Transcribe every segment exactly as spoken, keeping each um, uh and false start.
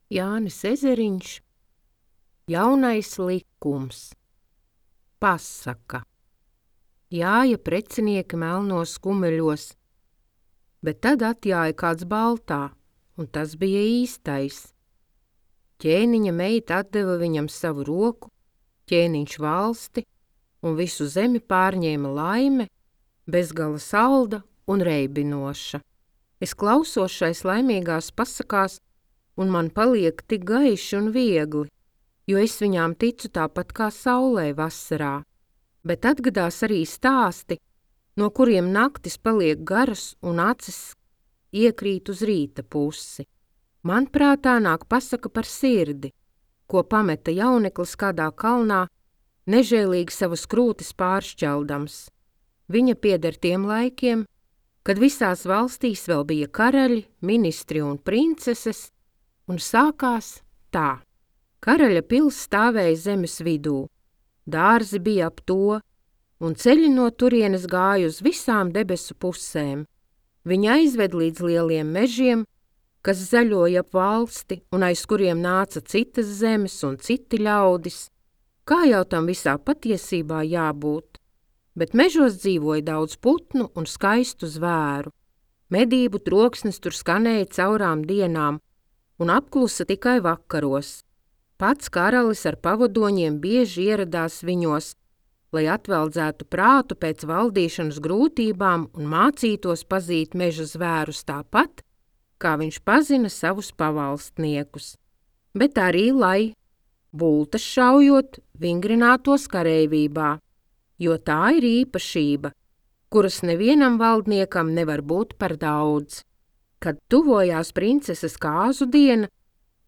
Jānis Ezeriņš, Jaunais likums. Pasaka. Jāja precinieki melnos kumeļos, bet tad atjāja kāds baltā, un tas bija īstais. Ķēniņa meita atdeva viņam savu roku, ķēniņš valsti, un visu zemi pārņēma laime, bezgala salda un reibinoša. Es klausos šais laimīgās pasakās, un man paliek tik gaiši un viegli, jo es viņām ticu tāpat kā saulē vasarā. Bet atgadās arī stāsti, no kuriem naktis paliek garas un acis iekrīt uz rīta pusi. Man prātā nāk pasaka par sirdi, ko pameta jauneklis kādā kalnā, nežēlīgi savas krūtis pāršķeldams. Viņa pieder tiem laikiem, kad visās valstīs vēl bija karaļi, ministri un princeses, un sākās tā. Karaļa pils stāvēja zemes vidū, dārzi bija ap to, un ceļi no turienes gāja uz visām debesu pusēm. Viņa aizved līdz lieliem mežiem, kas zaļoja ap valsti, un aiz kuriem nāca citas zemes un citi ļaudis. Kā jau tam visā patiesībā jābūt? Bet mežos dzīvoja daudz putnu un skaistu zvēru. Medību troksnis tur skanēja caurām dienām un apklusa tikai vakaros. Pats karalis ar pavadoņiem bieži ieradās viņos, lai atveldzētu prātu pēc valdīšanas grūtībām un mācītos pazīt meža zvērus tāpat, kā viņš pazina savus pavalstniekus. Bet arī, lai bultas šaujot, vingrinātos kareivībā, jo tā ir īpašība, kuras nevienam valdniekam nevar būt par daudz. Kad tuvojās princeses kāzu diena,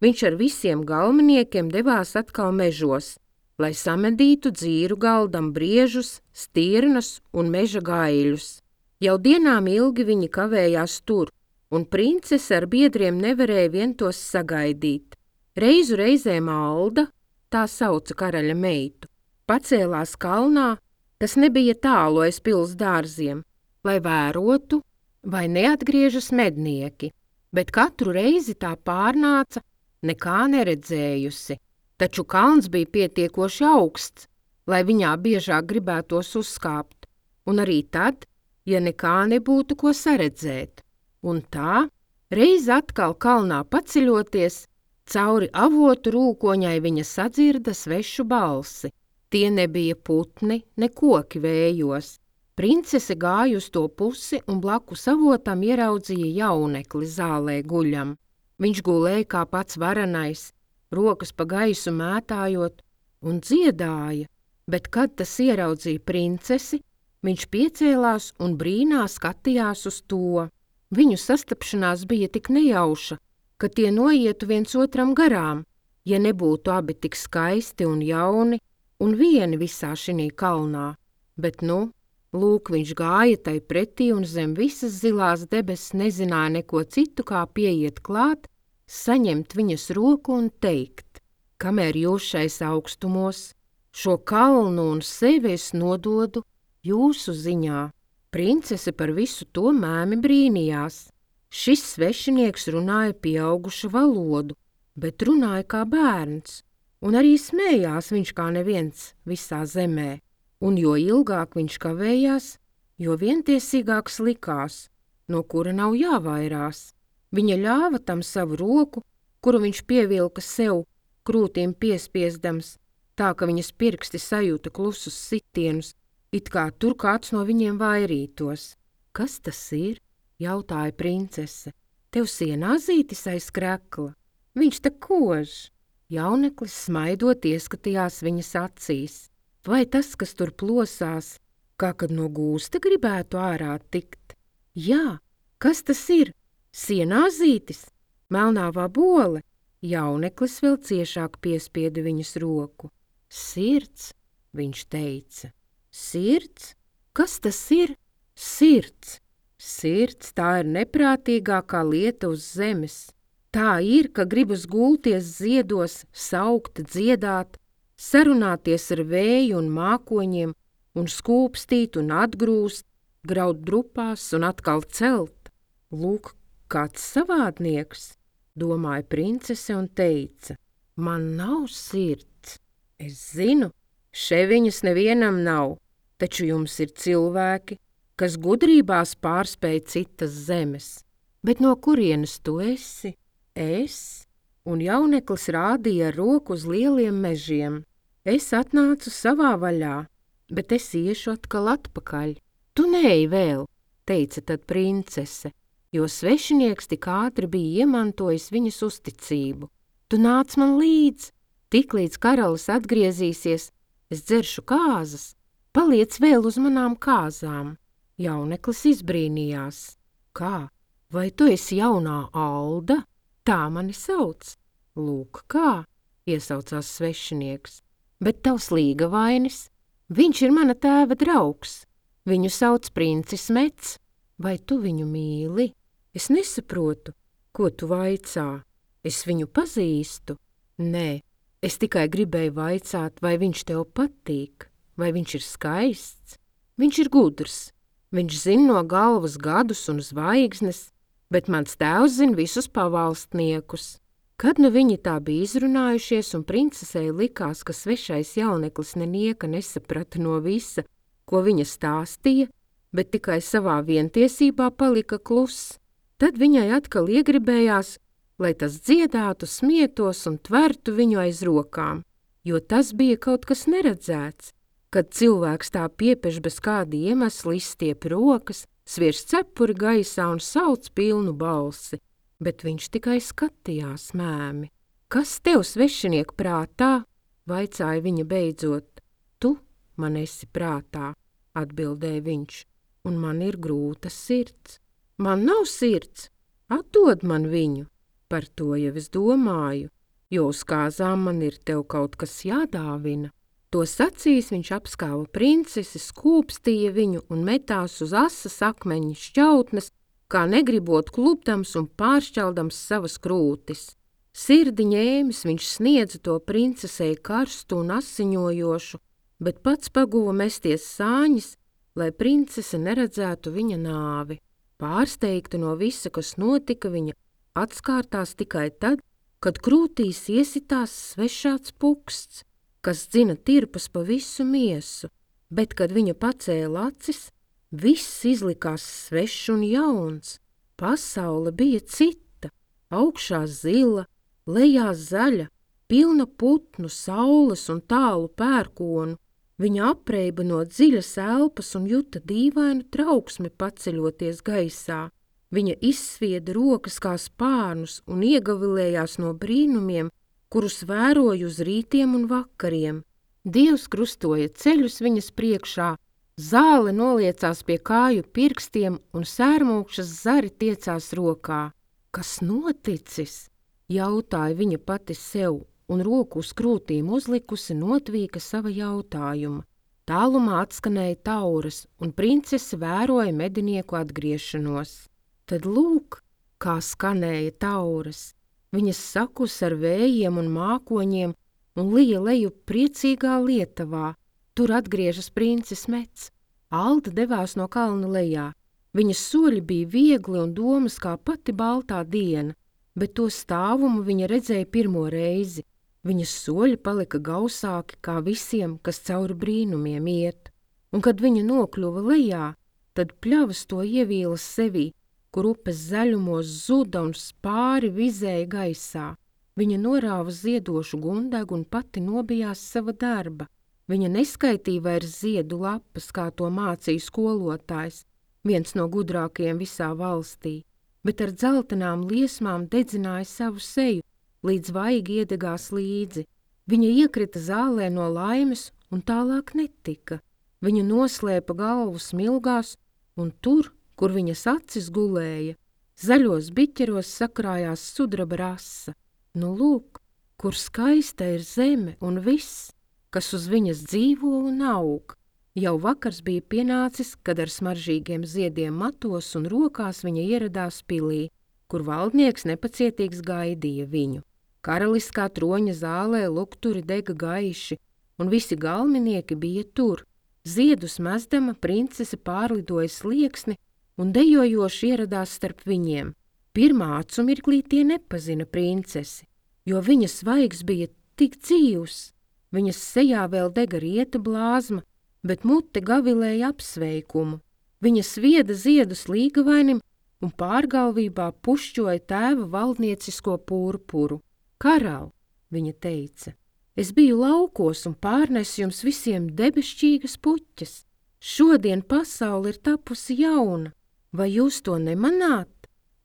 viņš ar visiem galveniekiem devās atkal mežos, lai samedītu dzīru galdam briežus, stirnas un meža gaiļus. Jau dienām ilgi viņi kavējās tur, un princese ar biedriem nevarēja vien tos sagaidīt. Reizu reizēm Alda, tā sauca karaļa meitu, pacēlās kalnā, kas nebija tālu aiz pils dārziem, lai vērotu, vai neatgriežas mednieki, bet katru reizi tā pārnāca, nekā neredzējusi. Taču kalns bija pietiekoši augsts, lai viņā biežāk gribētos uzkāpt, un arī tad, ja nekā nebūtu ko saredzēt. Un tā, reiz atkal kalnā paceļoties, cauri avotu rūkoņai viņa sadzirda svešu balsi. Tie nebija putni, ne koki vējos. Princese gāja uz to pusi un blakus avotam ieraudzīja jaunekli zālē guļam. Viņš gulēja kā pats varenais, rokas pa gaisu mētājot un dziedāja, bet kad tas ieraudzīja princesi, viņš piecēlās un brīnā skatījās uz to. Viņu sastapšanās bija tik nejauša, ka tie noietu viens otram garām, ja nebūtu abi tik skaisti un jauni un vieni visā šinī kalnā. Bet nu, lūk, viņš gāja tai pretī un zem visas zilās debesis nezināja neko citu, kā pieiet klāt, saņemt viņas roku un teikt, kamēr jūs šais augstumos, šo kalnu un sevi es nododu jūsu ziņā. Princese par visu to mēmi brīnījās. Šis svešinieks runāja pieaugušu valodu, bet runāja kā bērns, un arī smējās viņš kā neviens visā zemē. Un jo ilgāk viņš kavējās, jo vientiesīgāks likās, no kura nav jāvairās. Viņa ļāva tam savu roku, kuru viņš pievilka sev, krūtīm piespiesdams, tā ka viņas pirksti sajūta klusus sitienus, it kā tur kāds no viņiem vairītos. Kas tas ir? Jautāja princese. Tev sienāzītis aiz krekla. Viņš te kož. Jauneklis smaidot ieskatījās viņas acīs. Vai tas, kas tur plosās, kā kad no gūsta gribētu ārā tikt? Jā, kas tas ir? Sienāzītis? Melnāvā bole? Jauneklis vēl ciešāk piespieda viņas roku. Sirds, viņš teica. Sirds? Kas tas ir? Sirds. Sirds, tā ir neprātīgākā lieta uz zemes. Tā ir, ka gribas gulties ziedos, saukt, dziedāt, sarunāties ar vēju un mākoņiem un skūpstīt un atgrūst, graut drupās un atkal celt. Lūk, kāds savādnieks. domāja princese un teica: man nav sirds. Es zinu, še viņas nevienam nav, taču jums ir cilvēki, kas gudrībās pārspēj citas zemes. Bet no kurienes tu esi? Es? Un jauneklis rādīja ar roku uz lieliem mežiem. Es atnācu savā vaļā, bet es iešu atkal atpakaļ. Tu neej vēl, teica tad princese, jo svešinieks tik ātri bija iemantojis viņas uzticību. Tu nāc man līdz, tiklīdz karalis atgriezīsies, es dzeršu kāzas, paliec vēl uz manām kāzām. Jauneklis izbrīnījās. Kā? Vai tu esi jaunā Alda? Tā mani sauc. Lūk, kā, iesaucās svešinieks. Bet tavs līgavainis, viņš ir mana tēva draugs. Viņu sauc princis Mets. Vai tu viņu mīli? Es nesaprotu, ko tu vaicā. Es viņu pazīstu. Nē, es tikai gribēju vaicāt, vai viņš tev patīk, vai viņš ir skaists. Viņš ir gudrs. Viņš zina no galvas gadus un zvaigznes, bet mans tēvs zina visus pavalstniekus. Kad nu viņi tā bija izrunājušies un princesei likās, ka svešais jauneklis nenieka nesaprata no visa, ko viņa stāstīja, bet tikai savā vientiesībā palika kluss, tad viņai atkal iegribējās, lai tas dziedātu, smietos un tvertu viņu aiz rokām, jo tas bija kaut kas neredzēts, kad cilvēks tā piepeš bez kāda iemesla izstiep rokas, sviež cepuri gaisā un sauc pilnu balsi, bet viņš tikai skatījās mēmi. Kas tev svešinieku prātā? Vaicāja viņa beidzot. Tu man esi prātā, atbildēja viņš, un man ir grūta sirds. Man nav sirds, atdod man viņu. Par to jau es domāju, jo uz kāzām man ir tev kaut kas jādāvina. To sacīs viņš apskāva princesi, skūpstīja viņu un metās uz asas akmeņa šķautnes, kā negribot klupdams un pāršķeldams savas krūtis. Sirdi ņēmis viņš sniedza to princesei karstu un asiņojošu, bet pats paguva mesties sāņas, lai princese neredzētu viņa nāvi. Pārsteigta no visa, kas notika, viņa atskārtās tikai tad, kad krūtīs iesitās svešāds puksts, kas dzina tirpas pa visu miesu, bet, kad viņa pacēla acis, viss izlikās svešs un jauns. Pasaule bija cita, augšā zila, lejā zaļa, pilna putnu, saules un tālu pērkonu. Viņa apreiba no dziļas elpas un juta dīvainu trauksmi paceļoties gaisā. Viņa izsvieda rokas kā spārnus un iegavilējās no brīnumiem, kurus vēroju uz rītiem un vakariem. Dievs krustoja ceļus viņas priekšā, zāle noliecās pie kāju pirkstiem un sērmūkšas zari tiecās rokā. Kas noticis? Jautāja viņa pati sev, un roku uz krūtīm uzlikusi notvīka sava jautājuma. Tālumā atskanēja tauras, un princese vēroja medinieku atgriešanos. Tad lūk, kā skanēja tauras. Viņas sakus ar vējiem un mākoņiem un lija leju priecīgā Lietavā. Tur atgriežas princis Mets. Alda devās no kalna lejā. Viņas soļi bija viegli un domas kā pati baltā diena, bet to stāvumu viņa redzēja pirmo reizi. Viņas soļi palika gausāki kā visiem, kas cauri brīnumiem iet. Un kad viņa nokļuva lejā, tad pļavas to ievīlas sevī, kur upes zaļumos zuda un spāri vizēja gaisā. Viņa norāva ziedošu gundegu un pati nobijās sava darba. Viņa neskaitīja vairs ziedu lapas, kā to mācīja skolotājs, viens no gudrākajiem visā valstī, bet ar dzeltenām liesmām dedzināja savu seju, līdz vaigi iedegās līdzi. Viņa iekrita zālē no laimes un tālāk netika. Viņa noslēpa galvu smilgās, un tur, kur viņas acis gulēja, zaļos biķeros sakrājās sudraba rasa. Nu lūk, kur skaista ir zeme un viss, kas uz viņas dzīvo un aug. Jau vakars bija pienācis, kad ar smaržīgiem ziediem matos un rokās viņa ieradās pilī, kur valdnieks nepacietīgs gaidīja viņu. Karaliskā troņa zālē lukturi dega gaiši, un visi galminieki bija tur. Ziedus mezdama princese pārlidoja slieksni un dejojoši ieradās starp viņiem. Pirmā acu mirklī tie nepazina princesi, jo viņas svaigs bija tik dzīvs. Viņas sejā vēl dega rieta blāzma, bet mute gavilēja apsveikumu. Viņa svieda ziedus līgavainim un pārgalvībā pušķoja tēva valdniecisko purpuru. Karal, viņa teica, es biju laukos un pārnesu jums visiem debesšķīgas puķes. Šodien pasaule ir tapusi jauna, vai jūs to nemanāt?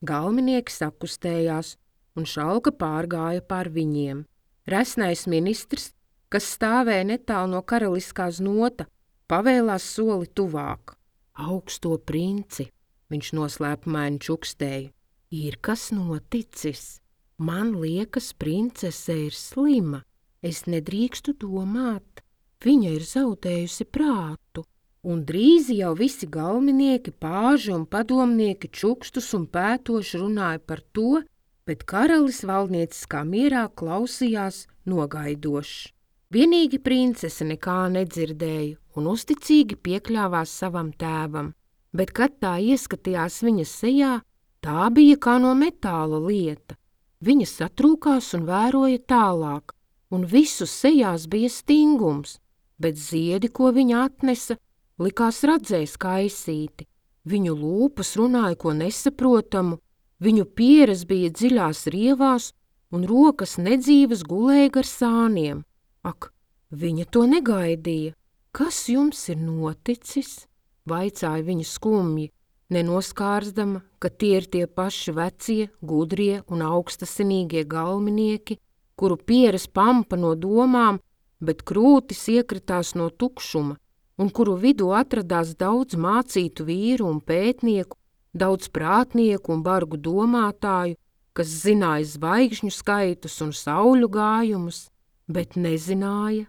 Galminieki sakustējās, un šalka pārgāja pār viņiem. Resnais ministrs, kas stāvēja netālu no karaliskās nota, pavēlās soli tuvāk. Augsto princi, viņš noslēpumaini čukstēja, ir kas noticis. Man liekas, princese ir slima, es nedrīkstu domāt. Viņa ir zaudējusi prātu. Un drīz jau visi galminieki, pāži un padomnieki čukstus un pētoši runāja par to, bet karalis valdnieciskā mierā klausījās nogaidošs. Vienīgi princese nekā nedzirdēja un uzticīgi piekļāvās savam tēvam, bet kad tā ieskatījās viņas sejā, tā bija kā no metāla lieta. Viņa satrūkās un vēroja tālāk, un visu sejās bija stingums, bet ziedi, ko viņa atnesa, likās radzējis kaisīti. Viņu lūpas runāja ko nesaprotamu, viņu pieres bija dziļās rievās un rokas nedzīvas gulēja gar sāniem. Ak, viņa to negaidīja. Kas jums ir noticis? Vaicāja viņa skumji, nenoskārzdama, ka tie ir tie paši vecie, gudrie un augstasinīgie galminieki, kuru pieres pampa no domām, bet krūtis iekritās no tukšuma, un kuru vidū atradās daudz mācītu vīru un pētnieku, daudz prātnieku un bargu domātāju, kas zināja zvaigžņu skaitus un sauļu gājumus, bet nezināja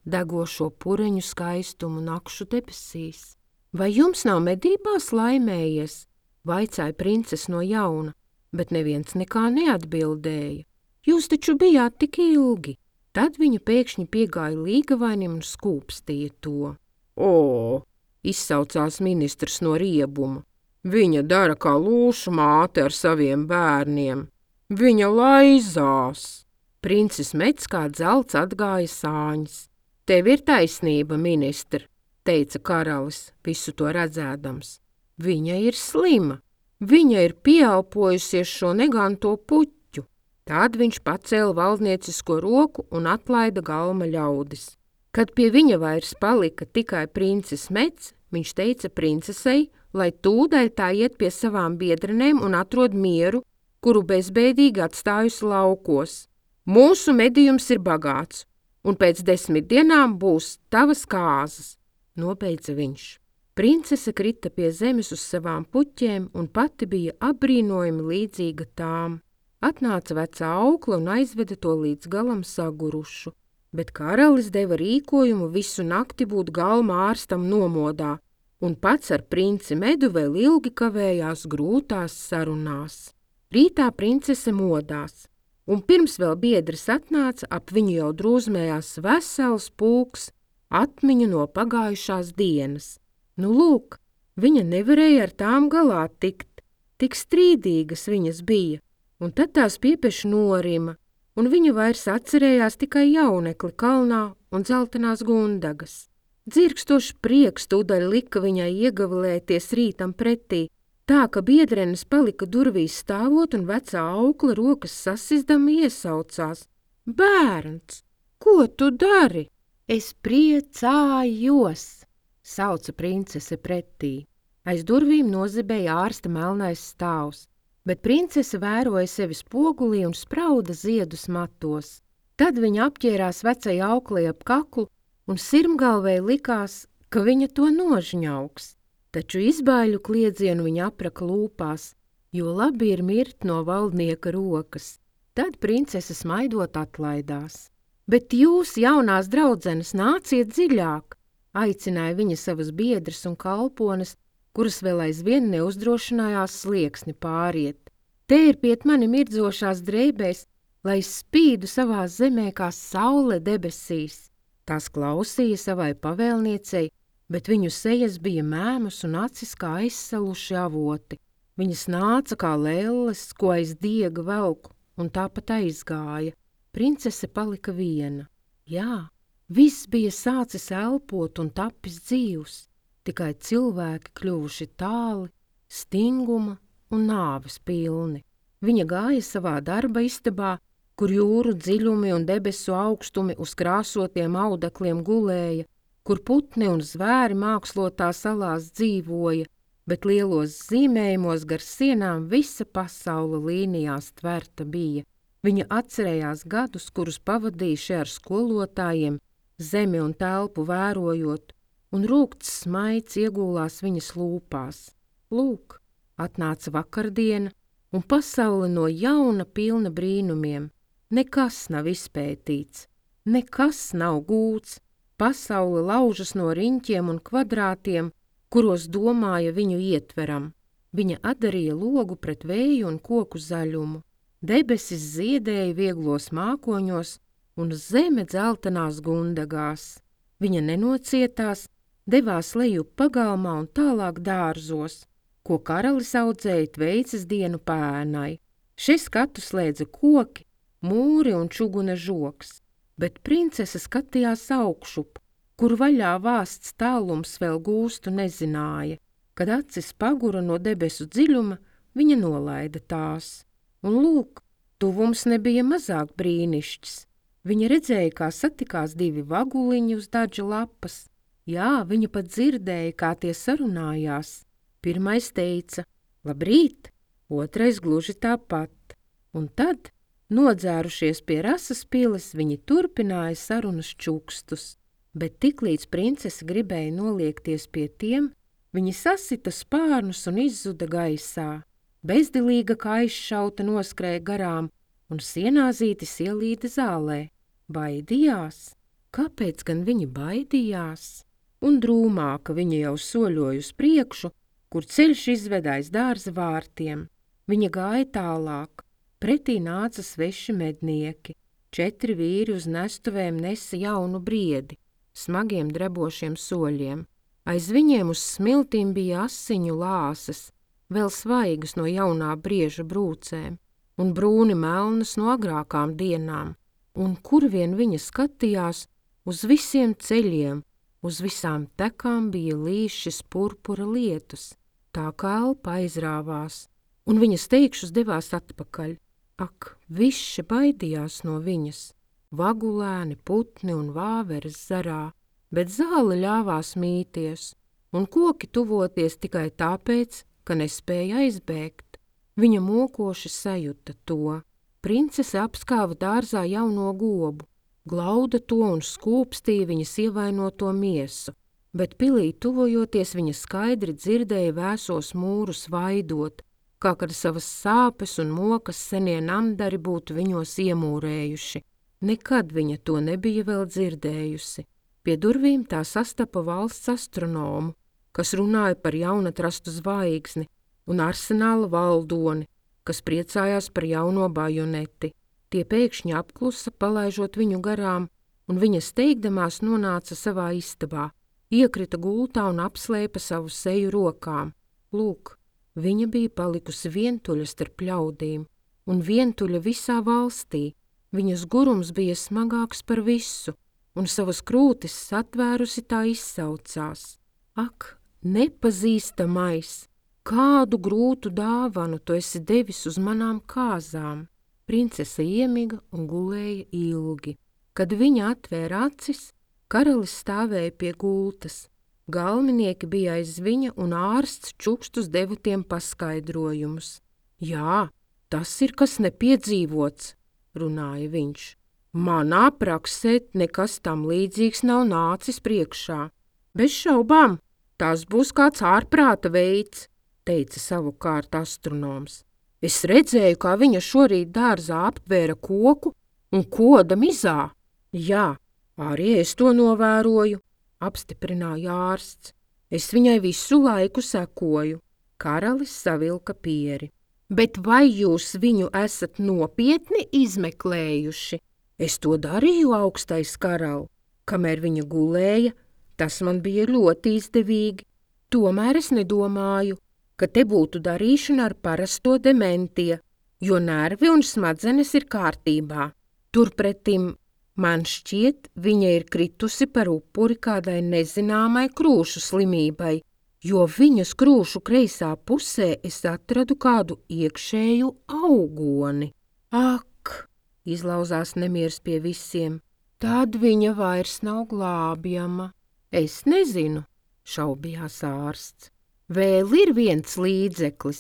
degošo pureņu skaistumu nakšu debesīs. Vai jums nav medībās laimējies? Vaicāja princese no jauna, bet neviens nekā neatbildēja. Jūs taču bijāt tik ilgi. Tad viņa pēkšņi piegāja līgavainim un skūpstīja to. O, izsaucās ministrs no riebuma. Viņa dara kā lūšu māte ar saviem bērniem. Viņa laizās. Princis Mets kā dzelts atgāja sāņas. Tev ir taisnība, ministri, teica karalis, visu to redzēdams. Viņa ir slima. Viņa ir pieelpojusies šo neganto puķu. Tad viņš pacēla valdniecisko roku un atlaida galma ļaudis. Kad pie viņa vairs palika tikai princis Mets, viņš teica princesei, lai tūdaļ tā iet pie savām biedrenēm un atrod mieru, kuru bezbēdīgi atstājusi laukos. Mūsu medījums ir bagāts, un pēc desmit dienām būs tavas kāzas, nobeidza viņš. Princese krita pie zemes uz savām puķēm un pati bija apbrīnojami līdzīga tām. Atnāca vecā aukla un aizveda to līdz galam sagurušu. Bet karalis deva rīkojumu visu nakti būt galma ārstam nomodā, un pats ar princi Medu vēl ilgi kavējās grūtās sarunās. Rītā princese modās, un pirms vēl biedrs atnāca, ap viņu jau drūzmējās vesels pulks atmiņu no pagājušās dienas. Nu lūk, viņa nevarēja ar tām galā tikt, tik strīdīgas viņas bija, un tad tās piepeši norima, un viņa vairs atcerējās tikai jaunekli kalnā un dzeltenās gundagas. Dzirkstošs prieks tūdaļ lika viņai iegavilēties rītam pretī, tā ka biedrenes palika durvīs stāvot un vecā aukla rokas sasizdama iesaucās. Bērns, ko tu dari? Es priecājos, sauca princese pretī. Aiz durvīm nozibēja ārsta melnais stāvs, bet princese vēroja sevi spogulī un sprauda ziedus matos. Tad viņa apķērās vecai auklei ap kaklu un sirmgalvei likās, ka viņa to nožņauks. Taču izbaiļu kliedzienu viņa apraka lūpās, jo labi ir mirt no valdnieka rokas. Tad princese smaidot atlaidās. Bet jūs, jaunās draudzenes, nāciet dziļāk, aicināja viņa savas biedras un kalpones, kuras vēl aizvien neuzdrošinājās slieksni pāriet. Te ir piet mani mirdzošās drēbēs, lai es spīdu savā zemē kā saule debesīs. Tās klausīja savai pavēlniecei, bet viņu sejas bija mēmas un acis kā aizsaluši avoti. Viņas nāca kā lelles, ko aiz diega velk, un tāpat aizgāja. Princese palika viena. Jā, viss bija sācis elpot un tapis dzīvs, tikai cilvēki kļuvuši tāli, stinguma un nāves pilni. Viņa gāja savā darba istabā, kur jūru dziļumi un debesu augstumi uz krāsotiem audekliem gulēja, kur putni un zvēri mākslotā salās dzīvoja, bet lielos zīmējumos gar sienām visa pasaule līnijās tverta bija. Viņa atcerējās gadus, kurus pavadījuši ar skolotājiem, zemi un telpu vērojot, un rūgts smaids iegūlās viņas lūpās. Lūk, atnāca vakardiena, un pasaule no jauna pilna brīnumiem. Nekas nav izpētīts, nekas nav gūts, pasaule laužas no riņķiem un kvadrātiem, kuros domāja viņu ietveram. Viņa atdarīja logu pret vēju un koku zaļumu. Debesis ziedēja vieglos mākoņos un zeme dzeltenās gundagās. Viņa nenocietās, devās lejup pagalmā un tālāk dārzos, ko karalis audzēja tveices dienu pēnai. Šie skatu slēdza koki, mūri un čuguna žoks, bet princese skatījās augšup, kur vaļā vāsts tālums vēl gūstu nezināja. Kad acis pagura no debesu dziļuma, viņa nolaida tās. Un lūk, tuvums nebija mazāk brīnišķs. Viņa redzēja, kā satikās divi vaguliņi uz daža lapas. Jā, viņa pat dzirdēja, kā tie sarunājās. Pirmais teica, labrīt, otrais gluži tāpat. Un tad, nodzērušies pie rasas piles, viņi turpināja sarunas čukstus. Bet tiklīdz princese gribēja noliekties pie tiem, viņi sasita spārnus un izzuda gaisā. Bezdilīga kā aizšauta noskrēja garām, un sienāzītis ielīda zālē. Baidījās? Kāpēc gan viņi baidījās? Un drūmāka viņa jau soļoja uz priekšu, kur ceļš izvedājas dārza vārtiem. Viņa gāja tālāk. Pretī nāca sveši mednieki. Četri vīri uz nestuvēm nesa jaunu briedi, smagiem drebošiem soļiem. Aiz viņiem uz smiltīm bija asiņu lāses, vēl svaigas no jaunā brieža brūcēm, un brūni melnas no agrākām dienām, un kur vien viņa skatījās, uz visiem ceļiem, uz visām tekām bija līšas purpura lietus, tā kā elpa aizrāvās, un viņas teikšus devās atpakaļ. Ak, viši baidījās no viņas, vagulēni, putni un vāveres zarā, bet zāle ļāvās mīties, un koki tuvoties tikai tāpēc, ka nespēja aizbēgt. Viņa mokoši sajuta to. Princese apskāva dārzā jauno gobu, glauda to un skūpstīja viņas ievainoto miesu, bet pilī tuvojoties viņa skaidri dzirdēja vēsos mūrus vaidot, kā kad savas sāpes un mokas senie namdari būtu viņos iemūrējuši. Nekad viņa to nebija vēl dzirdējusi. Pie durvīm tā sastapa valsts astronomu, kas runāja par jaunatrastu zvaigzni, un arsenāla valdoni, kas priecājās par jauno bajoneti. Tie pēkšņi apklusa, palaižot viņu garām, un viņa steigdamās nonāca savā istabā, iekrita gultā un apslēpa savu seju rokām. Lūk, viņa bija palikusi vientuļa starp ļaudīm, un vientuļa visā valstī. Viņas gurums bija smagāks par visu, un savas krūtis satvērusi tā izsaucās. Ak, nepazīstamais, kādu grūtu dāvanu tu esi devis uz manām kāzām. Princese iemiga un gulēja ilgi. Kad viņa atvēra acis, karalis stāvēja pie gultas. Galminieki bija aiz viņa un ārsts čukstus deva tiem paskaidrojumus. Jā, tas ir kas nepiedzīvots, runāja viņš. Manā praksē nekas tam līdzīgs nav nācis priekšā. Bez šaubām, tas būs kāds ārprāta veids, teica savukārt astronoms. Es redzēju, kā viņa šorīt dārzā aptvēra koku un koda mizā. Jā, arī es to novēroju, apstiprināja ārsts. Es viņai visu laiku sekoju. Karalis savilka pieri. Bet vai jūs viņu esat nopietni izmeklējuši? Es to darīju, augstais karali. Kamēr viņa gulēja, tas man bija ļoti izdevīgi. Tomēr es nedomāju, ka te būtu darīšana ar parasto dementie, jo nervi un smadzenes ir kārtībā. Turpretim, man šķiet, viņa ir kritusi par upuri kādai nezināmai krūšu slimībai, jo viņas krūšu kreisā pusē es atradu kādu iekšēju augoni. Ak, izlauzās nemieris pie visiem, tad viņa vairs nav glābjama. Es nezinu, šaubījās ārsts. Vēl ir viens līdzeklis,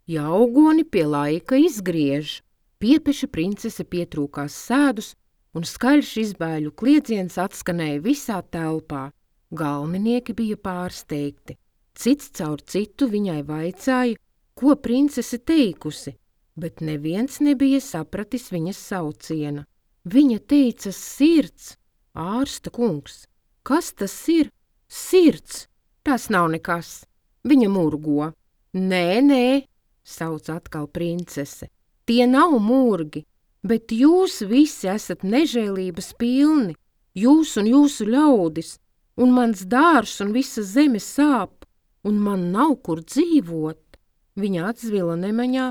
ja augoni pie laika izgriež. Piepeša princese pietrūkās sēdus, un skaļš izbēļu kliedziens atskanēja visā telpā. Galvenieki bija pārsteigti. Cits caur citu viņai vaicāja, ko princese teikusi, bet neviens nebija sapratis viņas sauciena. Viņa teica sirds. Ārsta kungs, kas tas ir? Sirds, tas nav nekas. Viņa murgo. Nē, nē, sauc atkal princese. Tie nav murgi, bet jūs visi esat nežēlības pilni, jūs un jūsu ļaudis, un mans dārs un visa zeme sāp, un man nav kur dzīvot. Viņa atzvila nemaņā,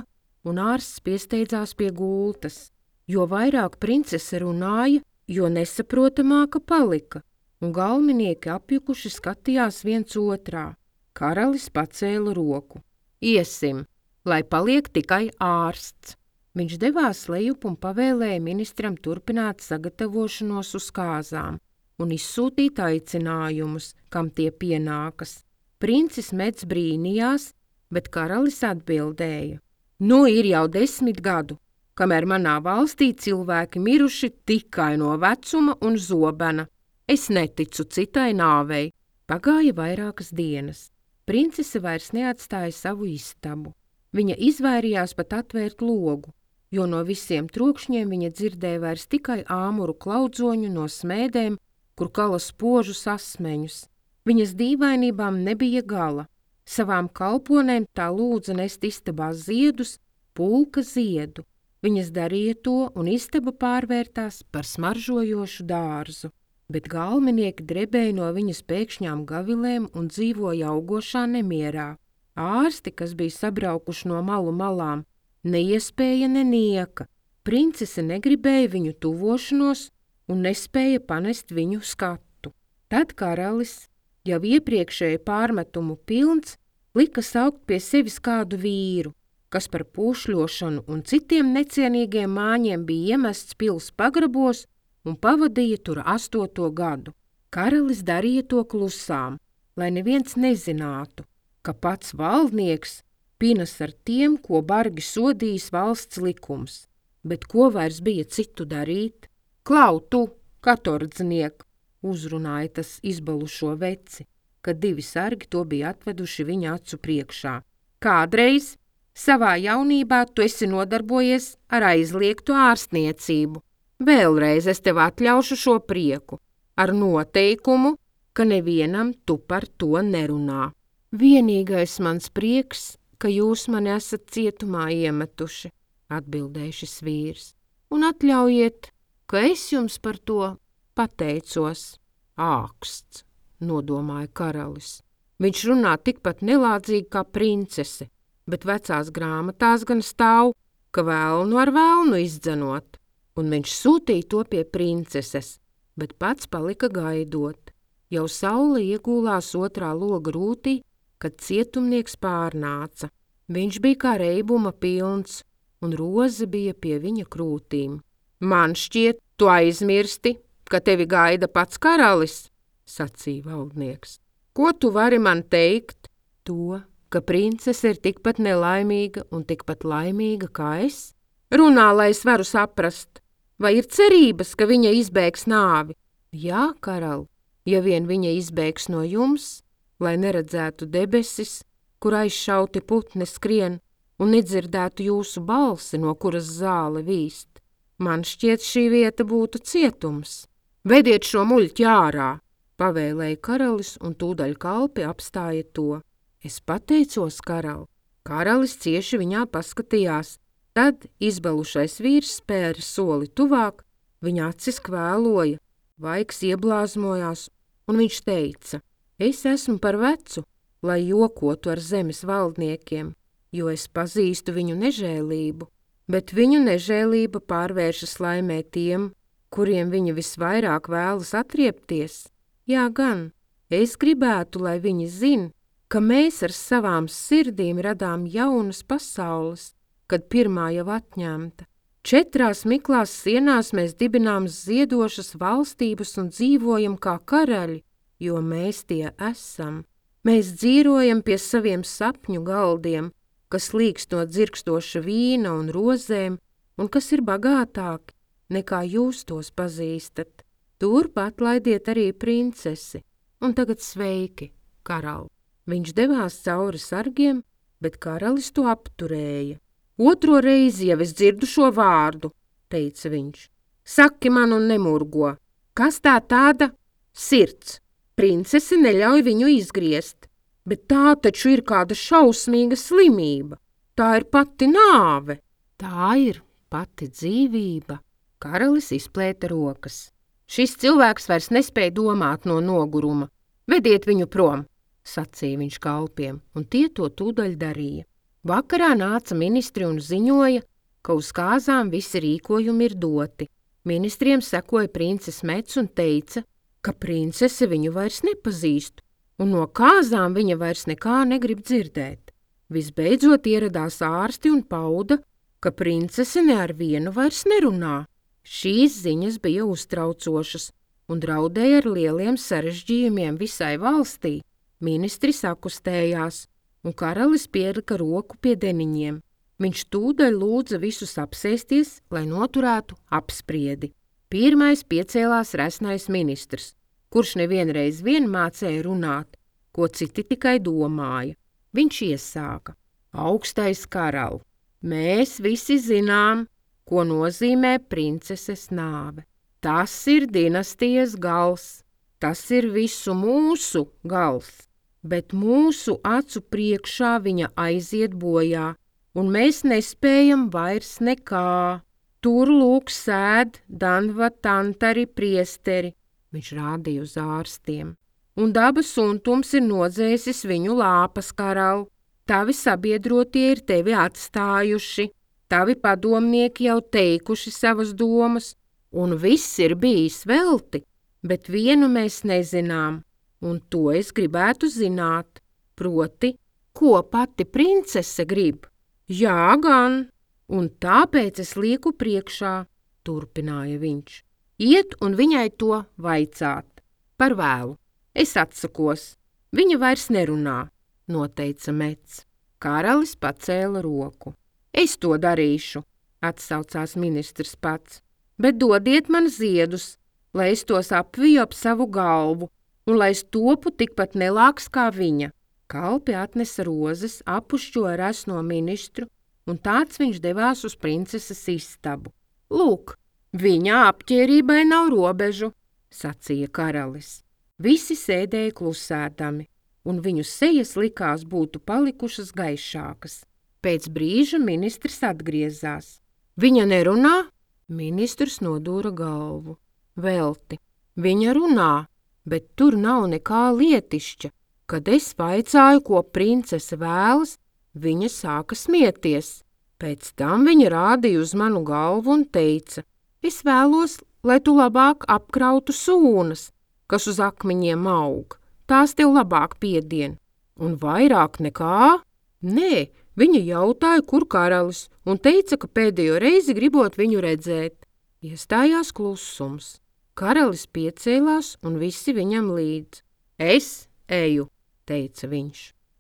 un ārsts piesteidzās pie gultas. Jo vairāk princese runāja, jo nesaprotamāka palika, un galvenieki apjukuši skatījās viens otrā. Karalis pacēla roku. Iesim, lai paliek tikai ārsts. Viņš devās lejup un pavēlēja ministram turpināt sagatavošanos uz kāzām un izsūtīt aicinājumus, kam tie pienākas. Princis Meds brīnījās, bet karalis atbildēja. Nu ir jau desmit gadu, kamēr manā valstī cilvēki miruši tikai no vecuma un zobena. Es neticu citai nāvei. Pagāja vairākas dienas. Princese vairs neatstāja savu istabu. Viņa izvairījās pat atvērt logu, jo no visiem trokšņiem viņa dzirdēja vairs tikai āmuru klaudzoņu no smēdēm, kur kala spožus asmeņus. Viņas dīvainībām nebija gala. Savām kalponēm tā lūdza nest istabā ziedus, pulka ziedu. Viņas darīja to, un istaba pārvērtās par smaržojošu dārzu. Bet galvenieki drebēja no viņas pēkšņām gavilēm un dzīvoja augošā nemierā. Ārsti, kas bija sabraukuši no malu malām, neiespēja nenieka. Princese negribēja viņu tuvošanos un nespēja panest viņu skatu. Tad karalis, jau iepriekšēju pārmetumu pilns, lika saukt pie sevis kādu vīru, kas par pūšļošanu un citiem necienīgiem māņiem bija iemests pils pagrabos un pavadīja tur astoto gadu. Karalis darīja to klusām, lai neviens nezinātu, ka pats valdnieks pinas ar tiem, ko bargi sodījis valsts likums. Bet ko vairs bija citu darīt? Klau tu, katordzniek, uzrunāja tas izbalušo veci, kad divi sargi to bija atveduši viņa acu priekšā. Kādreiz savā jaunībā tu esi nodarbojies ar aizliegtu ārstniecību. Vēlreiz es tev atļaušu šo prieku, ar noteikumu, ka nevienam tu par to nerunā. Vienīgais mans prieks, ka jūs mani esat cietumā iemetuši, atbildēja šis vīrs, un atļaujiet, ka es jums par to pateicos. Āksts, nodomāja karalis. Viņš runā tikpat nelādzīgi kā princese, bet vecās grāmatās gan stāv, ka vēlnu ar vēlnu izdzenot. Un viņš sūtīja to pie princeses, bet pats palika gaidot. Jau saule iegūlās otrā loga rūtī, kad cietumnieks pārnāca. Viņš bija kā reibuma pilns, un roze bija pie viņa krūtīm. Man šķiet, tu aizmirsti, ka tevi gaida pats karalis, sacīja valdnieks. Ko tu vari man teikt? To, ka princese ir tikpat nelaimīga un tikpat laimīga kā es? Runā, lai es varu saprast. Vai ir cerības, ka viņa izbēgs nāvi? Jā, karal, ja vien viņa izbēgs no jums, lai neredzētu debesis, kur aizšauti putni skrien, un nedzirdētu jūsu balsi, no kuras zāle vīst. Man šķiet, šī vieta būtu cietums. Vediet šo muļķi ārā, pavēlēja karalis, un tūdaļ kalpi apstāja to. Es pateicos, karal. Karalis cieši viņā paskatījās. Tad izbalušais vīrs spēra soli tuvāk, viņa acis kvēloja, vaigs ieblāzmojās, un viņš teica, es esmu par vecu, lai jokotu ar zemes valdniekiem, jo es pazīstu viņu nežēlību, bet viņu nežēlība pārvēršas laimē tiem, kuriem viņa visvairāk vēlas atriepties. Jā gan, es gribētu, lai viņi zin, ka mēs ar savām sirdīm radām jaunas pasaules, kad pirmā jau atņemta. Četrās miklās sienās mēs dibinām ziedošas valstības un dzīvojam kā karaļi, jo mēs tie esam. Mēs dzīvojam pie saviem sapņu galdiem, kas līkst no dzirkstoša vīna un rozēm, un kas ir bagātāki, nekā jūs tos pazīstat. Turpat laidiet arī princesi, un tagad sveiki, karali. Viņš devās cauri sargiem, bet karalis to apturēja. Otro reizi jau es dzirdu šo vārdu, teica viņš. Saki man un nemurgo, kas tā tāda? Sirds. Princese neļauj viņu izgriezt, bet tā taču ir kāda šausmīga slimība. Tā ir pati nāve. Tā ir pati dzīvība. Karalis izplēta rokas. Šis cilvēks vairs nespēja domāt no noguruma. Vediet viņu prom, sacīja viņš kalpiem, un tie to tūdaļ darīja. Vakarā nāca ministri un ziņoja, ka uz kāzām visi rīkojumi ir doti. Ministriem sekoja princes Mets un teica, ka princese viņu vairs nepazīst, un no kāzām viņa vairs nekā negrib dzirdēt. Visbeidzot ieradās ārsti un pauda, ka princese ne ar vienu vairs nerunā. Šīs ziņas bija uztraucošas un draudēja ar lieliem sarežģījumiem visai valstī. Ministri sakustējās, un karalis pielika roku pie deniņiem. Viņš tūdaļ lūdza visus apsēsties, lai noturētu apspriedi. Pirmais piecēlās resnais ministrs, kurš nevienreiz vien mācēja runāt, ko citi tikai domāja. Viņš iesāka. Augstais karali, mēs visi zinām, ko nozīmē princeses nāve. Tas ir dinastijas gals, tas ir visu mūsu gals. Bet mūsu acu priekšā viņa aiziet bojā, un mēs nespējam vairs nekā. Tur lūk sēd Danva Tantari priesteri, viņš rādīja uz ārstiem, un dabas suntums ir nodzēsis viņu lāpas, karali. Tavi sabiedrotie ir tevi atstājuši, tavi padomnieki jau teikuši savas domas, un viss ir bijis velti, bet vienu mēs nezinām. Un to es gribētu zināt, proti, ko pati princese grib. Jā gan, un tāpēc es lieku priekšā, turpināja viņš. Iet un viņai to vaicāt. Par vēlu. Es atsakos. Viņa vairs nerunā, noteica Mets. Karalis pacēla roku. Es to darīšu, atsaucās ministrs pats, bet dodiet man ziedus, lai es tos apviju ap savu galvu, un lai es topu tikpat nelāks kā viņa. Kalpi atnesa rozes, apušķoja resno ministru, un tāds viņš devās uz princeses istabu. Lūk, viņa apķērībai nav robežu, sacīja karalis. Visi sēdēja klusēdami, un viņu sejas likās būtu palikušas gaišākas. Pēc brīža ministrs atgriezās. Viņa nerunā? Ministrs nodūra galvu. Velti. Viņa runā. Bet tur nav nekā lietišķa. Kad es vaicāju, ko princese vēlas, viņa sāka smieties. Pēc tam viņa rādīja uz manu galvu un teica, es vēlos, lai tu labāk apkrautu sūnas, kas uz akmeņiem aug. Tās tev labāk piedien. Un vairāk nekā? Nē, viņa jautāja, kur karalis, un teica, ka pēdējo reizi gribot viņu redzēt. Iestājās klusums. Karalis piecēlās un visi viņam līdz. Es eju, teica viņš.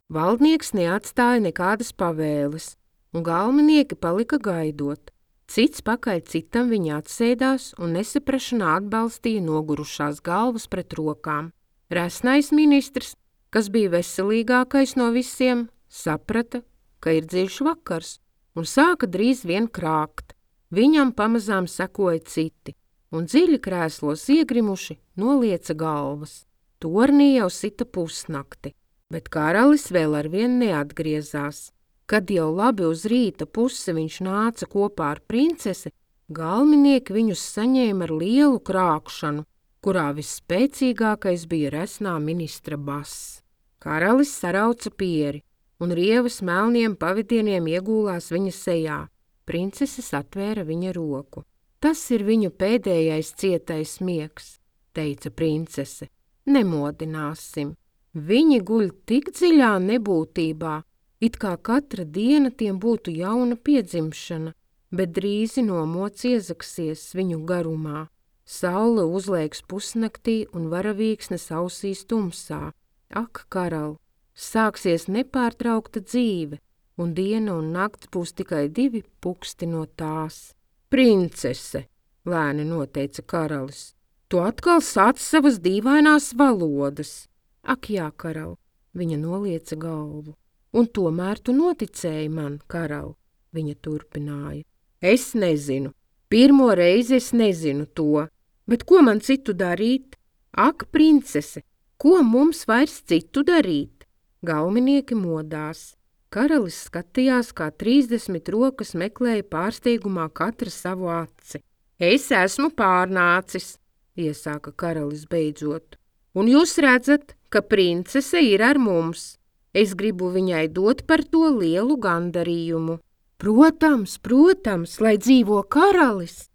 Valdnieks neatstāja nekādas pavēles, un galvenieki palika gaidot. Cits pakaļ citam viņa atsēdās un nesaprašanā atbalstīja nogurušās galvas pret rokām. Resnais ministrs, kas bija veselīgākais no visiem, saprata, ka ir dziļš vakars, un sāka drīz vien krākt. Viņam pamazām sekoja citi. Un dziļi krēslos iegrimuši nolieca galvas. Tornī jau sita pusnakti, bet karalis vēl arvien neatgriezās. Kad jau labi uz rīta pusi viņš nāca kopā ar princesi, galvenieki viņus saņēma ar lielu krākšanu, kurā visspēcīgākais bija resnā ministra bass. Karalis sarauca pieri, un rievas melniem pavadieniem iegūlās viņa sejā. Princeses atvēra viņa roku. Tas ir viņu pēdējais cietais miegs, teica princese. Nemodināsim. Viņi guļ tik dziļā nebūtībā, it kā katra diena tiem būtu jauna piedzimšana, bet drīzi nomots iezaksies viņu garumā. Saule uzlēks pusnaktī un varavīksnes ausīs tumsā. Ak, karal, sāksies nepārtraukta dzīve, un diena un nakts būs tikai divi puksti no tās. Princese, lēni noteica karalis, tu atkal sāc savas dīvainās valodas. Ak, jā, karal, viņa nolieca galvu. Un tomēr tu noticēji man, karal, viņa turpināja. Es nezinu, pirmo reizi es nezinu to, bet ko man citu darīt? Ak, princese, ko mums vairs citu darīt? Galminieki modās. Karalis skatījās, kā trīsdesmit rokas meklēja pārsteigumā katra savu aci. Es esmu pārnācis, iesāka karalis beidzot. Un jūs redzat, ka princese ir ar mums. Es gribu viņai dot par to lielu gandarījumu. Protams, protams, lai dzīvo karalis.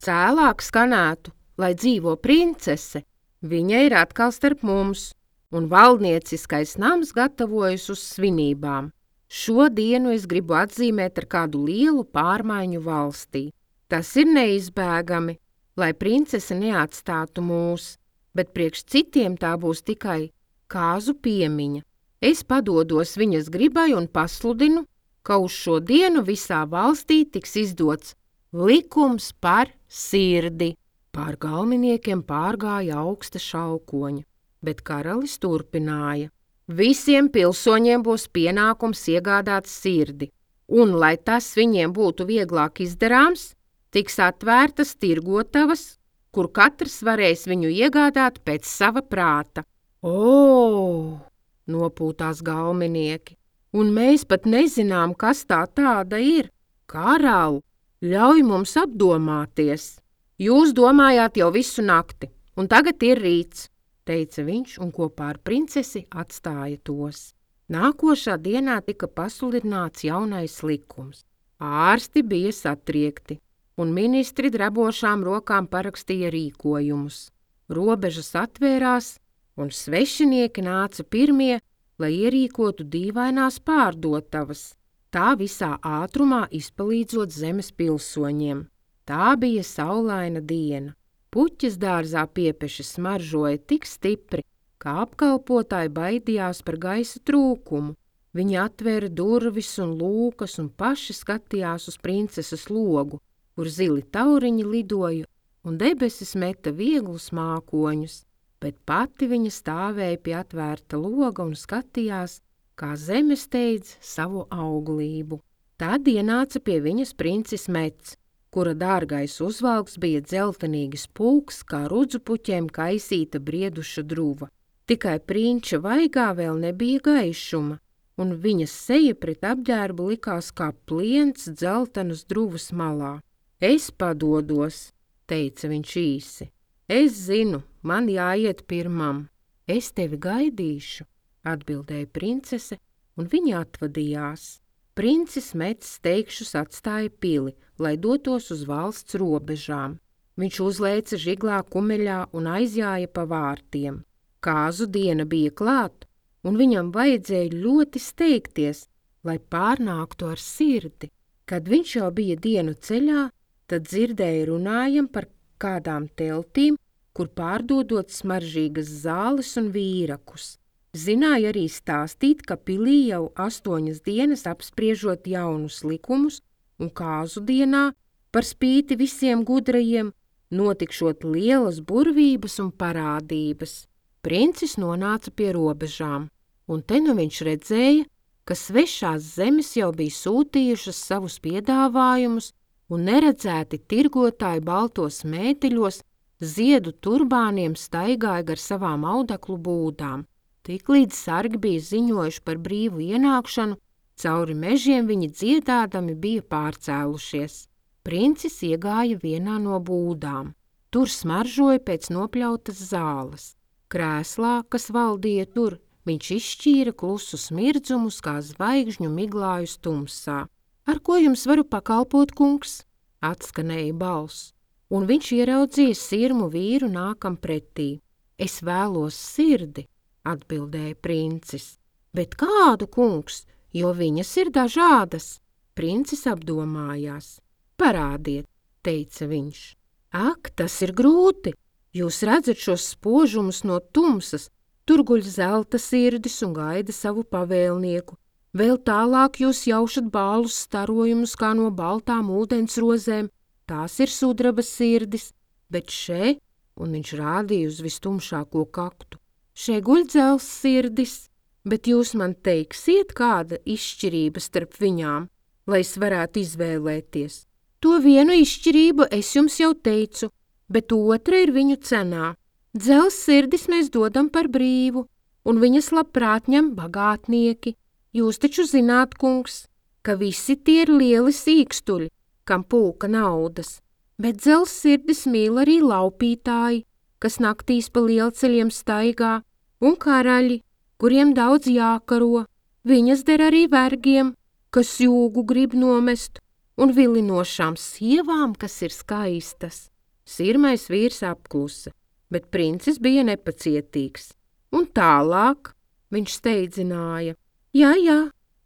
Cēlāk skanētu, lai dzīvo princese. Viņa ir atkal starp mums, un valdnieciskais nams gatavojas uz svinībām. Šo dienu es gribu atzīmēt ar kādu lielu pārmaiņu valstī. Tas ir neizbēgami, lai princese neatstātu mūs, bet priekš citiem tā būs tikai kāzu piemiņa. Es padodos viņas gribai un pasludinu, ka uz šo dienu visā valstī tiks izdots likums par sirdi. Pār galminiekiem pārgāja augsta šaukoņa, bet karalis turpināja. Visiem pilsoņiem būs pienākums iegādāt sirdi, un, lai tas viņiem būtu vieglāk izdarāms, tiks atvērtas tirgotavas, kur katrs varēs viņu iegādāt pēc sava prāta. O, nopūtās galminieki, un mēs pat nezinām, kas tā tāda ir. Karal, ļauj mums apdomāties. Jūs domājāt jau visu nakti, un tagad ir rīts, teica viņš un kopā ar princesi atstāja tos. Nākošā dienā tika pasludināts jaunais likums. Ārsti bija satriekti, un ministri drabošām rokām parakstīja rīkojumus. Robežas atvērās, un svešinieki nāca pirmie, lai ierīkotu dīvainās pārdotavas, tā visā ātrumā izpalīdzot zemes pilsoņiem. Tā bija saulaina diena. Puķes dārzā piepeši smaržoja tik stipri, ka apkalpotāji baidījās par gaisa trūkumu. Viņi atvēra durvis un lūkas un paši skatījās uz princeses logu, kur zili tauriņi lidoja un debesis meta vieglus mākoņus, bet pati viņa stāvēja pie atvērta loga un skatījās, kā zeme steidz savu auglību. Tad ienāca pie viņas princis Mets, kura dārgais uzvalks bija dzeltenīgs pulks, kā rudzupuķiem kaisīta brieduša druva. Tikai prinča vaigā vēl nebija gaišuma, un viņas seja pret apģērbu likās kā pliens dzeltenas druvas malā. Es padodos, teica viņš īsi. Es zinu, man jāiet pirmam. Es tevi gaidīšu, atbildēja princese, un viņa atvadījās. Princis Mets steigšus atstāja pili, lai dotos uz valsts robežām. Viņš uzlēca žiglā kumeļā un aizjāja pa vārtiem. Kāzu diena bija klāt, un viņam vajadzēja ļoti steigties, lai pārnāktu ar sirdi. Kad viņš jau bija dienu ceļā, tad dzirdēja runājam par kādām teltīm, kur pārdodot smaržīgas zāles un vīrakus. Zināja arī stāstīt, ka pilī jau astoņas dienas apspriežot jaunus likumus un kāzu dienā, par spīti visiem gudrajiem, notikšot lielas burvības un parādības. Princis nonāca pie robežām, un te nu viņš redzēja, ka svešās zemes jau bija sūtījušas savus piedāvājumus, un neredzēti tirgotāji baltos mēteļos ziedu turbāniem staigāja gar savām audeklu būdām. Tiklīdz sargi bija ziņojuši par brīvu ienākšanu, cauri mežiem viņi dziedādami bija pārcēlušies. Princis iegāja vienā no būdām. Tur smaržoja pēc nopļautas zāles. Krēslā, kas valdīja tur, viņš izšķīra klusus mirdzumus kā zvaigžņu miglājus tumsā. Ar ko jums varu pakalpot, kungs? Atskanēja balss, un viņš ieraudzīja sirmu vīru nākam pretī. Es vēlos sirdi, atbildēja princis. Bet kādu, kungs, jo viņas ir dažādas? Princis apdomājās. Parādiet, teica viņš. Ak, tas ir grūti. Jūs redzat šos spožumus no tumsas, tur guļ zelta sirdis un gaida savu pavēlnieku. Vēl tālāk jūs jaušat bālus starojumus kā no baltām ūdens rozēm, tās ir sudraba sirdis, bet še, un viņš rādīja uz vistumšāko kaktu, še guļ dzels sirdis, bet jūs man teiksiet, kāda izšķirība starp viņām, lai es varētu izvēlēties. To vienu izšķirību es jums jau teicu, bet otra ir viņu cenā. Dzels sirdis mēs dodam par brīvu, un viņas labprāt ņem bagātnieki. Jūs taču zināt, kungs, ka visi tie ir lieli sīkstuļi, kam pulka naudas, bet dzels sirdis mīl arī laupītāji, kas naktīs pa lielceļiem staigā, un karaļi, kuriem daudz jākaro. Viņas der arī vergiem, kas jūgu grib nomest, un vilinošām sievām, kas ir skaistas. Sirmais vīrs apklusa, bet princis bija nepacietīgs. Un tālāk viņš steidzināja. Jā, jā,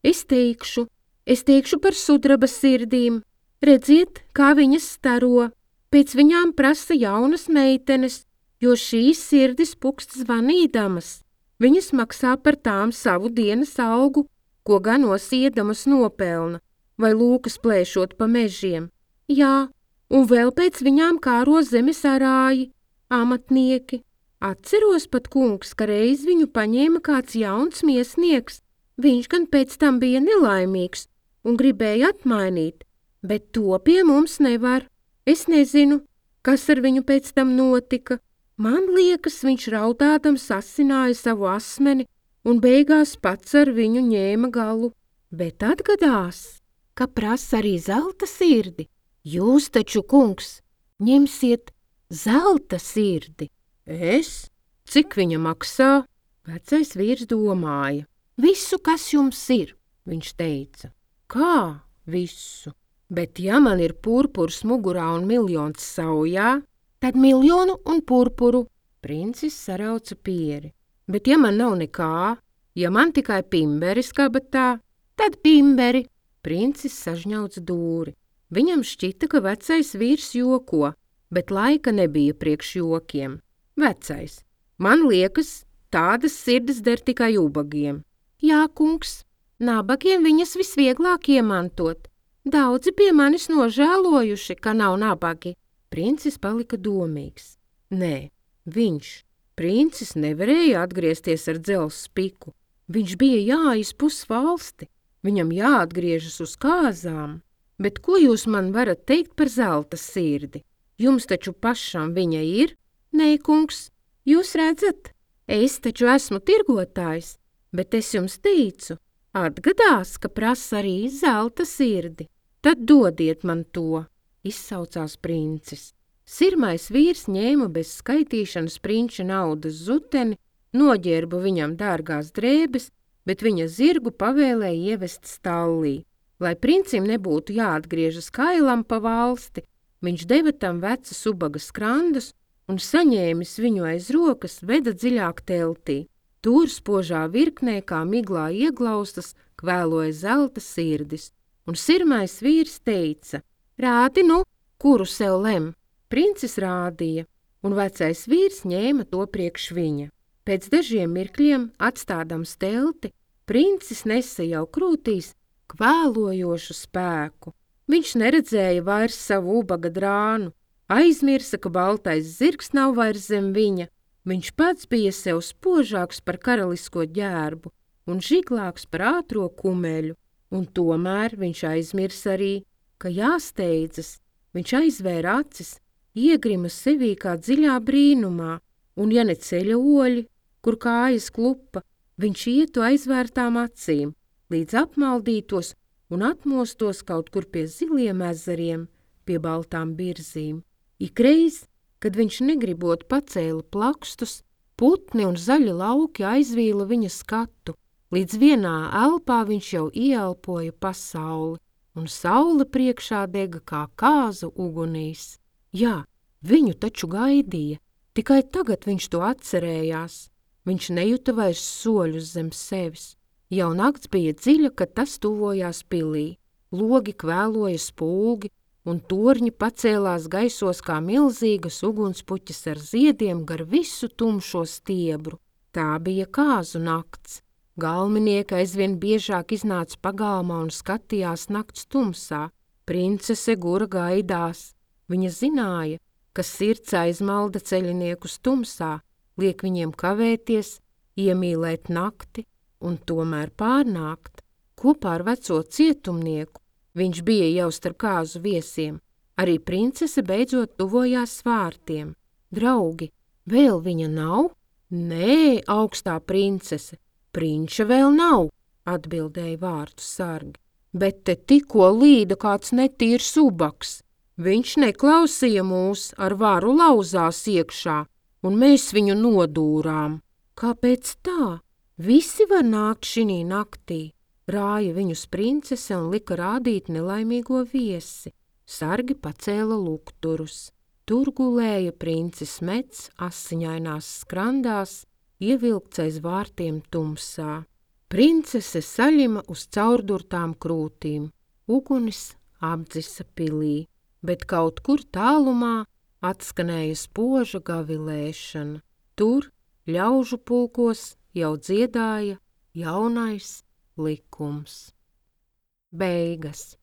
es teikšu, es teikšu par sudraba sirdīm. Redziet, kā viņas staro. Pēc viņām prasa jaunas meitenes, jo šīs sirdis pukst zvanīdamas. Viņas maksā par tām savu dienas algu, ko ganos iedamas nopelna, vai lūkas plēšot pa mežiem. Jā, un vēl pēc viņām kāro zemes arāji, amatnieki. Atceros pat, kungs, ka reiz viņu paņēma kāds jauns miesnieks. Viņš gan pēc tam bija nelaimīgs un gribēja atmainīt, bet to pie mums nevar. Es nezinu, kas ar viņu pēc tam notika. Man liekas, viņš raudādams asināja savu asmeni un beigās pats ar viņu ņēma galu. Bet atgadās, ka prasa arī zelta sirdi. Jūs taču, kungs, ņemsiet zelta sirdi. Es? Cik viņa maksā? Vecais vīrs domāja. Visu, kas jums ir, viņš teica. Kā visu? Bet ja man ir purpurs mugurā un miljons saujā, tad miljonu un purpuru. Princis sarauca pieri. Bet ja man nav nekā, ja man tikai pimberis kabatā, tad pimberi. Princis sažņauca dūri. Viņam šķita, ka vecais vīrs joko, bet laika nebija priekš jokiem. Vecais, man liekas, tādas sirdis der tikai ubagiem. Jā, kungs, nabagiem viņas visvieglāk iemantot. Daudzi pie manis nožēlojuši, ka nav nabagi. Princis palika domīgs. Nē, viņš, princis, nevarēja atgriezties ar dzelzs piku. Viņš bija jāizpus valsti, viņam jāatgriežas uz kāzām. Bet ko jūs man varat teikt par zelta sirdi? Jums taču pašam viņa ir? Nē, kungs, jūs redzat, es taču esmu tirgotājs. Bet es jums teicu, atgadās, ka prasa arī zelta sirdi. Tad dodiet man to, izsaucās princis. Sirmais vīrs ņēma bez skaitīšanas prinča naudas zuteni, noģērba viņam dārgās drēbes, bet viņa zirgu pavēlēja ievest stallī. Lai princim nebūtu jāatgriežas kailam pa valsti, viņš deva tam vecas ubaga skrandus un saņēmis viņu aiz rokas veda dziļāk teltī. Tur spožā virknē, kā miglā ieglaustas, kvēloja zelta sirdis, un sirmais vīrs teica, rādi nu, kuru sev lem. Princis rādīja, un vecais vīrs ņēma to priekš viņa. Pēc dažiem mirkļiem, atstādams telti, princis nesa jau krūtīs kvēlojošu spēku. Viņš neredzēja vairs savu ubaga drānu, aizmirsa, ka baltais zirgs nav vairs zem viņa. Viņš pats bija sev spožāks par karalisko ģērbu un žiglāks par ātro kumeļu, un tomēr viņš aizmirs arī, ka jāsteidzas. Viņš aizvēra acis, iegrima sevī kā dziļā brīnumā, un ja ne ceļa oļi, kur kājas klupa, viņš ietu aizvērtām acīm, līdz apmaldītos un atmostos kaut kur pie ziliem ezeriem, pie baltām birzīm. Ikreiz, kad viņš negribot pacēla plakstus, putni un zaļi lauki aizvīla viņa skatu, līdz vienā elpā viņš jau ieelpoja pasauli, un saule priekšā dega kā kāzu ugunīs. Jā, viņu taču gaidīja, tikai tagad viņš to atcerējās. Viņš nejuta vairs soļus zem sevis. Jau nakts bija dziļa, kad tas tuvojās pilī. Logi kvēloja spulgi, un torņi pacēlās gaisos kā milzīgas ugunspuķis ar ziediem gar visu tumšo stiebru. Tā bija kāzu nakts. Galminieki aizvien biežāk iznāca pagalmā un skatījās nakts tumsā. Princese gura gaidās. Viņa zināja, ka sirds aizmalda ceļiniekus tumsā, liek viņiem kavēties, iemīlēt nakti un tomēr pārnākt. Kopā ar veco cietumnieku viņš bija jau starp kāzu viesiem. Arī princese beidzot tuvojās vārtiem. Draugi, vēl viņa nav? Nē, augstā princese, prinča vēl nav, atbildēja vārtu sargi. Bet te tikko līda kāds netīrs ubaks. Viņš neklausīja mūs, ar varu lauzās iekšā, un mēs viņu nodūrām. Kāpēc tā? Visi var nākt šinī naktī. Rāja viņus princese un lika rādīt nelaimīgo viesi. Sargi pacēla lukturus. Tur gulēja princis Mets asiņainās skrandās, ievilkts aiz vārtiem tumsā. Princese saļima uz caurdurtām krūtīm. Ugunis apdzisa pilī, bet kaut kur tālumā atskanēja spoža gavilēšana. Tur ļaužu pulkos jau dziedāja jaunais likums. Beigas.